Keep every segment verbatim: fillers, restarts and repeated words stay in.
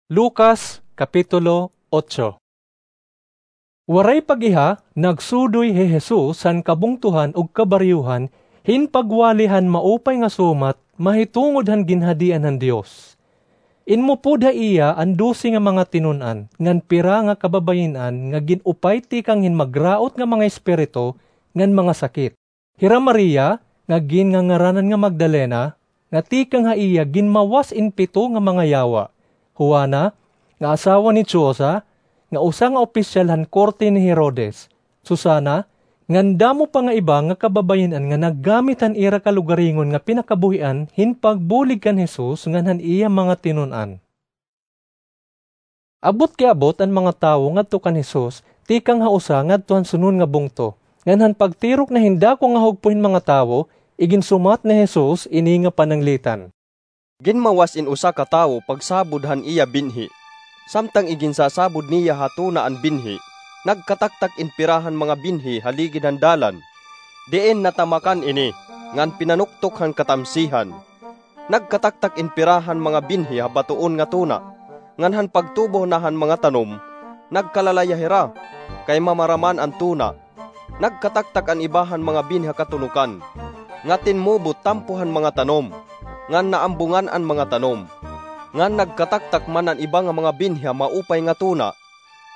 Lucas, Kapitulo otso. Waray pag-iha, nagsudoy hi Jesus han kabungtohan ug kabaryohan hin pagwali han maupay nga sumat mahitungod han Ginhadian han Dios. Inmupod ha iya an dose nga mga tinun-an ngan pira nga kababayin-an nga gin-upay tikang hin magraot nga mga espiritu ngan mga sakit. Hira Maria, nga gingangaranan nga Magdalena, nga tikang ha iya ginmawas in pito nga mga yawa. Juana, nga asawa ni Chuza, nga usa nga opisyal han korte ni Herodes. Susana, ngan damo pa nga iba nga kababayin-an nga naggamit han ira kalugaringon nga pinakabuhian hin pagbulig kan Jesus ngan han iya mga tinun-an. Abot kiabot an mga tawo ngadto kan Jesus, tikang ha usa ngadto han sunod nga bungto. Ngan han pagtirok na hin dako nga hugpo hin mga tawo, iginsumat ni Jesus ini nga pananglitan. Ginmawas in usa ka tawo pagsabod han iya binhi. Samtang iginsasabod niya ha tuna an binhi, nagkataktak in pira han mga binhi ha ligid han dalan. Diin natamakan ini, ngan pinanuktok han katamsihan. Nagkataktak in pira han mga binhi ha batoon nga tuna, ngan han pagtubo na han mga tanom, nagkalalaya hira, kay mamaraman an tuna. Nagkataktak an iba han mga binhi ha katunokan, nga tinmubo tampo han mga tanom, ngan naambungan an mga tanom. Ngan nagkataktak man an iba nga mga binhi ha maupay nga tuna,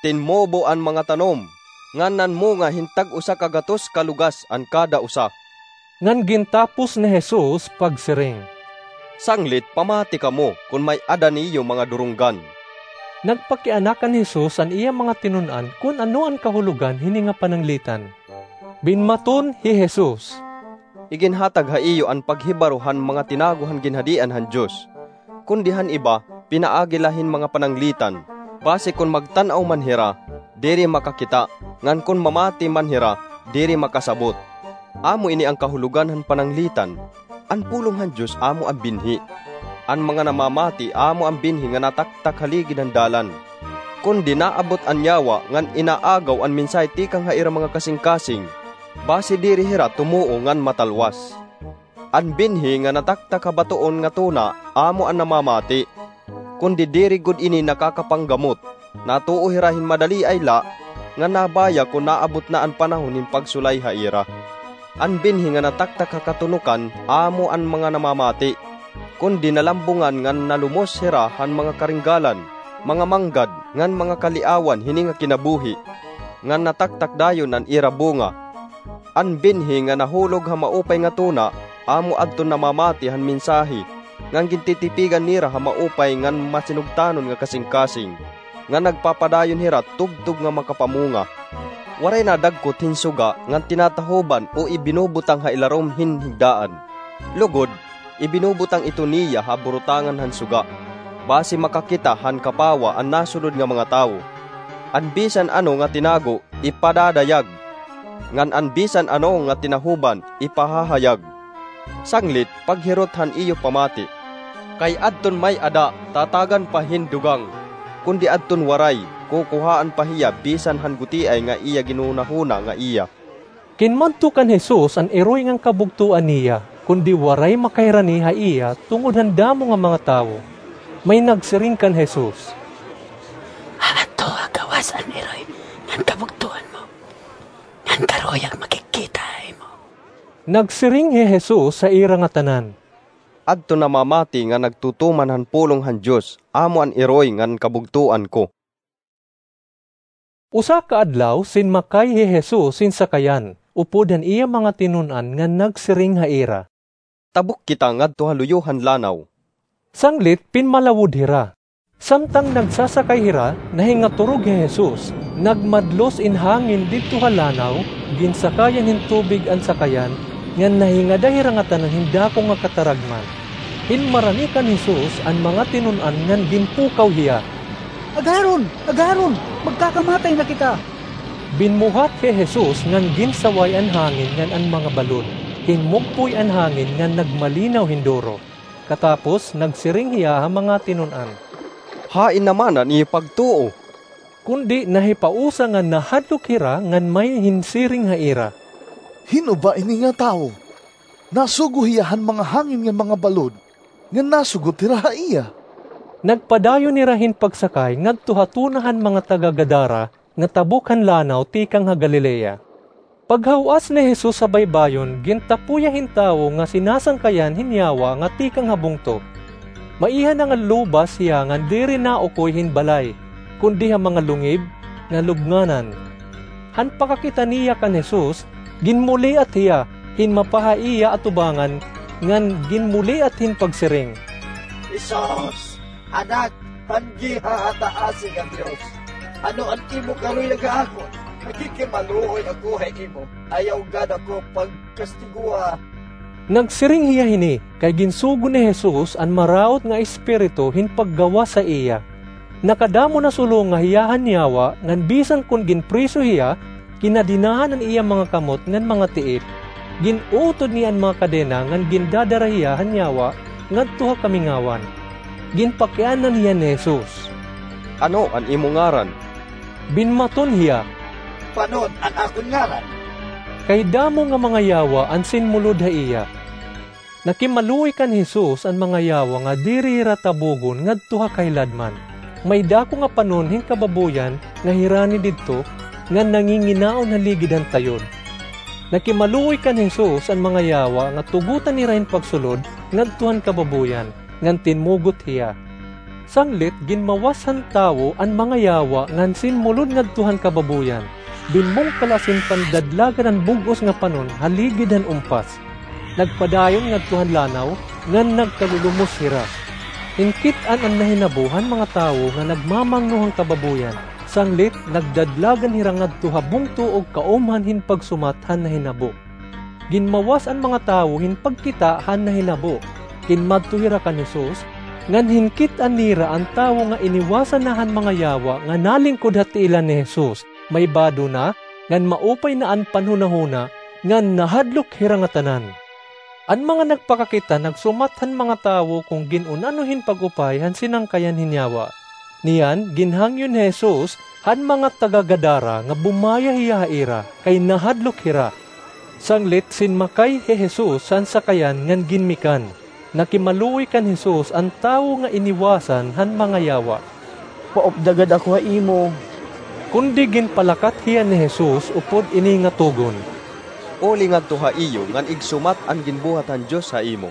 tinmubo an mga tanom, ngan nanmunga hin tag-usa ka gatos ka lugas an kada usa. Ngan gintapos ni Jesus pagsiring, "Sanglit pamati kamo kon may-ada niyo mga durunggan." Nagpakianakan ni Jesus an iya mga tinun-an kon ano an kahulogan hini nga pananglitan. Binmaton hi Jesus, "Iginhatag ha iyo an paghibaro han mga tinago han Ginhadian han Dios. Kundi han iba, pinaagi la hin mga pananglitan, basi kon magtan-aw man hira, diri makakita, ngan kon mamati man hira, diri makasabot. Amo ini an kahulogan han pananglitan." An pulong han Dios amo an binhi. An mga namamati amo an binhi nga nataktak ha ligid han dalan. Kundi naabot an yawa ngan inaagaw an mensahe tikang ha ira mga kasingkasing, basi diri hira tumuo ngan matalwas. An binhi nga nataktak ha batoon nga tuna amo an namamati. Kundi diri gud ini nakakapanggamot. Natuo hira hin madali ay la, nga nabaya kon naabot na an panahon hin pagsulay ha ira. An binhi nga nataktak ha katunokan amo an mga namamati. Kundi nalambungan ngan nalumos hira han mga karinggalan, mga manggad, ngan mga kaliawan hini nga kinabuhi, ngan nataktak dayon an ira bunga. An binhi nga nahulog ha maupay nga tuna, amo adton namamati han mensahe, ngan gintitipigan nira ha maupay ngan masinugtanon nga kasingkasing, nga nagpapadayon hira tubtob nga makapamunga. Waray nadagkot hin suga ngan tinatahoban o ibinubutang ha ilarom hin higdaan. Lugod, ibinubutang ito niya ha burutangan han suga, basi makakita han kapawa an nasunod nga mga tawo. An bisan ano nga tinago, ipadadayag, ngan an bisan ano nga tinahoban, ipahahayag. Sanglit, paghirot han iyo pamati. Kay adton may-ada, tatagan pa hin dugang, kundi adton waray, kukuhaan pa hiya bisan han gutiay nga iya ginhunahuna nga iya. Kinmadto kan Jesus an iroy ngan kabugtoan niya, kundi waray makairani ha iya tungod han damo nga mga tawo. May nagsiring kan Jesus, "Aadto ha gawas an iroy ngan kabugtoan mo, ngan karuyag makigkita ha imo." Nagsiring hi Jesus ha ira ngatanan, "Adton namamati nga nagtutuman han pulong han Dios, amo an iroy ngan kabugtoan ko." Usa ka adlaw, sinmakay hi Jesus hin sakayan, upod han iya mga tinun-an ngan nagsiring ha ira, "Tabok kita ngadto ha luyo han lanaw." Sanglit, pinmalawod hira. Samtang nagsasakay hira, nahingaturog hi Jesus. Nagmadlos in hangin didto ha lanaw, ginsakayan hin tubig an sakayan, ngan nahingada hira ngatanan hin dako nga kataragman. Hinmarani kan Jesus an mga tinun-an ngan ginpukaw hiya, "Agaharon! Agaharon! Magkakamatay na kita!" Binmuhat hi Jesus ngan ginsaway an hangin ngan an mga balod. Hinmugpoy an hangin ngan nagmalinaw hin duro. Katapos, nagsiring hiya ha mga tinun-an, "Hain naman an iyo pagtuo?" Kundi nahipausa nga nahadlok hira ngan may hinsiring ha ira, "Hin-o ba ini nga tawo? Nasugo hiya han mga hangin ngan mga balod, ngan nasugot hira ha iya." Nagpadayon hira hin pagsakay ngadto ha tuna han mga taga-Gadara nga tabok han lanaw tikang ha Galilea. Paghaw-as ni Jesus ha baybayon, gintapo hiya hin tawo nga sinasangkayan hin yawa nga tikang ha bungto. Maiha na nga lubas hiya ngan diri naukoy hin balay, kundi ha mga lungib nga lubnganan. Han pakakita niya kan Jesus, ginmuliat hiya hin mapa ha iya atubangan ngan ginmuliat hin pagsiring, "Jesus, Anak han Gihahataasi nga Dios, ano an imo kaluyagan ha akon? Nakikimaluoy ako ha imo. Ayaw gad ako pagkastigoa." Nagsiring hiya hini kay ginsugo ni Jesus an maraot nga espiritu hin paggawas ha iya. Nakadamo na sulonga hiya han yawa ngan bisan kon ginpriso hiya, kinadenahan an iya mga kamot ngan mga tiil. Gin-utod niya an mga kadena ngan gindadara hiya han yawa ngadto ha kamingawan. Ginpakiana niya ni Jesus. "Ano an imo ngaran?" Binmaton hiya, "Panon an akon ngaran?" Kay damo nga mga yawa an sinmulod ha iya. Nakimaluoy kan Jesus an mga yawa nga diri hira tabogon ngadto ha kahiladman. May dako nga panon hin kababoyan nga hirani didto, ngan nanginginaon ha ligid han tayon. Nakimaluoy kan Jesus an mga yawa nga tugotan hira hin pagsulod ngadto han kababoyan, ngan tinmugot hiya. Sanglit ginmawas han tawo an mga yawa ngan sinmulod ngadto han kababoyan. Binmungkal as in pandadlagan an bug-os nga panon ha ligid han umpas. Nagpadayon ngadto han lanaw ngan nagkalulumos hira. Hinkit-an an nahinabo han mga tawo nga nagmamangno han kababoyan, sanglit nagdadlagan hira ngadto ha bungto ug kaumhan hin pagsumat han nahinabo. Ginmawas an mga tawo hin pagkita han nahinabo. Kinmadto hira kan Jesus, ngan hinkit-an nira an tawo nga iniwasan na han mga yawa nga nalingkod ha tiilan ni Jesus. Maibado na, ngan maupay na an panhunahuna, ngan nahadlok hira ngatanan. An mga nagpakakita nagsumat han mga tawo kon gin-un-ano hin pag-upay han sinangkayan hin yawa. Niyan, ginhangyo ni Jesus han mga taga-Gadara nga bumaya hiya ha ira, kay nahadlok hira. Sanglit sinmakay hi Jesus han sakayan ngan ginmikan. Nakimaluoy kan Jesus an tawo nga iniwasan han mga yawa. "Paupda gad ako ha imo." Kundi ginpalakat hiya ni Jesus upod ini nga tugon, "Uli ngadto ha iyo ngan igsumat an ginbuhat han Dios ha imo."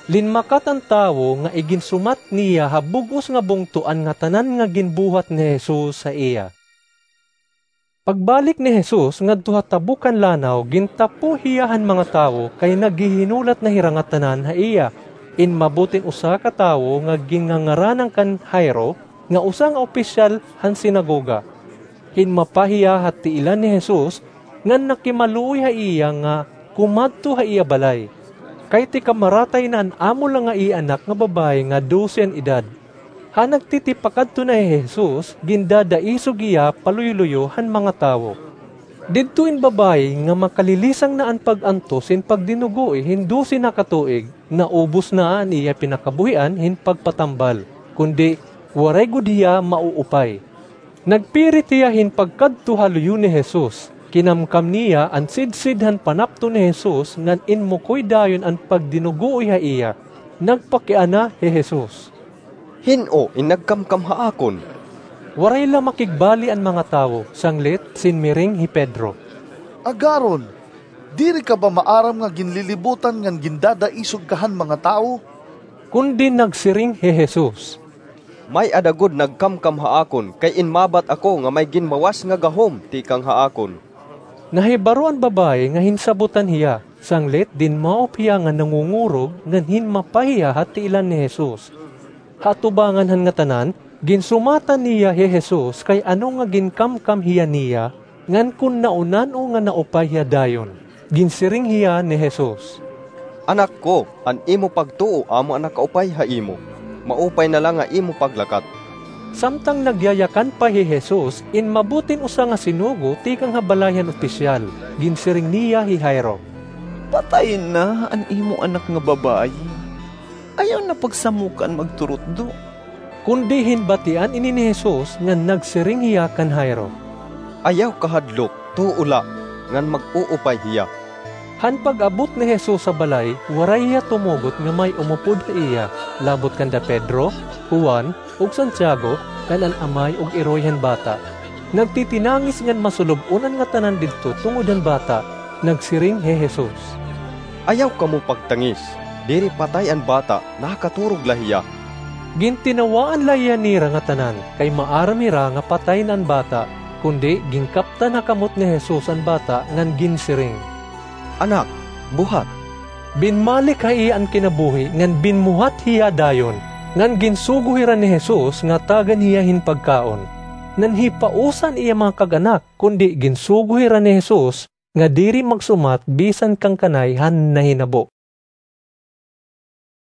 Linmakat an tawo nga iginsumat niya ha bug-os nga bungto an ngatanan nga ginbuhat ni Jesus ha iya. Pagbalik ni Jesus ngadto ha tabok han lanaw, gintapo hiya han mga tawo kay naghihinulat na hira ngatanan ha iya. In mabutin usa ka tawo nga gingangaranan kan Jairo, nga usa nga opisyal han sinagoga. Hinmapa hiya ha tiilan ni Jesus, ngan nakimaluoy ha iya nga kumadto ha iya balay. Kay tikamaratay na an amo la nga iya anak nga babaye nga dose an edad. Ha nagtitipakadto na hi Jesus, gindadaisog hiya paluyo-luyo han mga tawo. Didto in babaye nga makalilisang na an pag-antos hin pagdinugoe hin dose na ka tuig, naubos na an iya pinakabuhian hin pagpatambal, kundi waray gud hiya mauupay. Nagpirit hiya hin pagkadto ha luyo ni Jesus. Kinamkam niya an sidsid han panapton ni Jesus ngan inmukoy dayon an pagdinugoe ha iya. Nagpakiana hi Jesus, "Hin-o in nagkamkam ha akon?" Waray la makigbali an mga tawo, sanglit sinmiring hi Pedro, "Agaron, diri ka ba maaram nga ginlilibutan ngan gindadaisog ka han mga tawo?" Kundi nagsiring hi Jesus, "May-ada gud nagkamkam ha akon, kay inmabat ako nga may ginmawas nga gahom tikang ha akon." Nahibaro an babaye nga hinsabotan hiya, sanglit dinmaop hiya nga nangungurog ngan hinmapa hiya ha tiilan ni Jesus. Ha atubangan han ngatanan, ginsumatan niya hi Jesus kay ano nga ginkamkam hiya niya, ngan kon naunan-o nga naupay hiya dayon. Ginsiring hiya ni Jesus, "Anak ko, an imo pagtuo amo an nakaupay ha imo. Maupay na la nga imo paglakat." Samtang nagyayakan pa hi Jesus, inmabutin usa nga sinugo tikang ha balay han opisyal. Ginsiring niya hi Jairo, "Patay na an imo anak nga babaye. Ayaw na pagsamokan magturutdo." Kundi hinbatian ini ni Jesus ngan nagsiring hiya kan Jairo, "Ayaw kahadlok, tuo la, ngan mag-uupay hiya." Han pag-abot ni Jesus ha balay, waray hiya tumugot nga may umupod ha iya, labot kanda Pedro, Juan, ug Santiago, ngan an amay ug iroy han bata. Nagtitinangis ngan masulob-on an ngatanan didto tungod han bata. Nagsiring hi Jesus, "Ayaw kamo pagtangis. Diri patay an bata, nakaturog la hiya." Gintinawaan la hiya nira ngatanan, kay maaram hira nga patay na an bata, kundi ginkaptan ha kamot ni Jesus an bata ngan ginsiring, "Anak, buhat." Binmalik ha iya an kinabuhi ngan binmuhat hiya dayon, ngan ginsugo hira ni Jesus nga tagan hiya hin pagkaon. Nanhipausa an iya mga kag-anak, kundi ginsugo hira ni Jesus nga diri magsumat bisan kan kanay han nahinabo.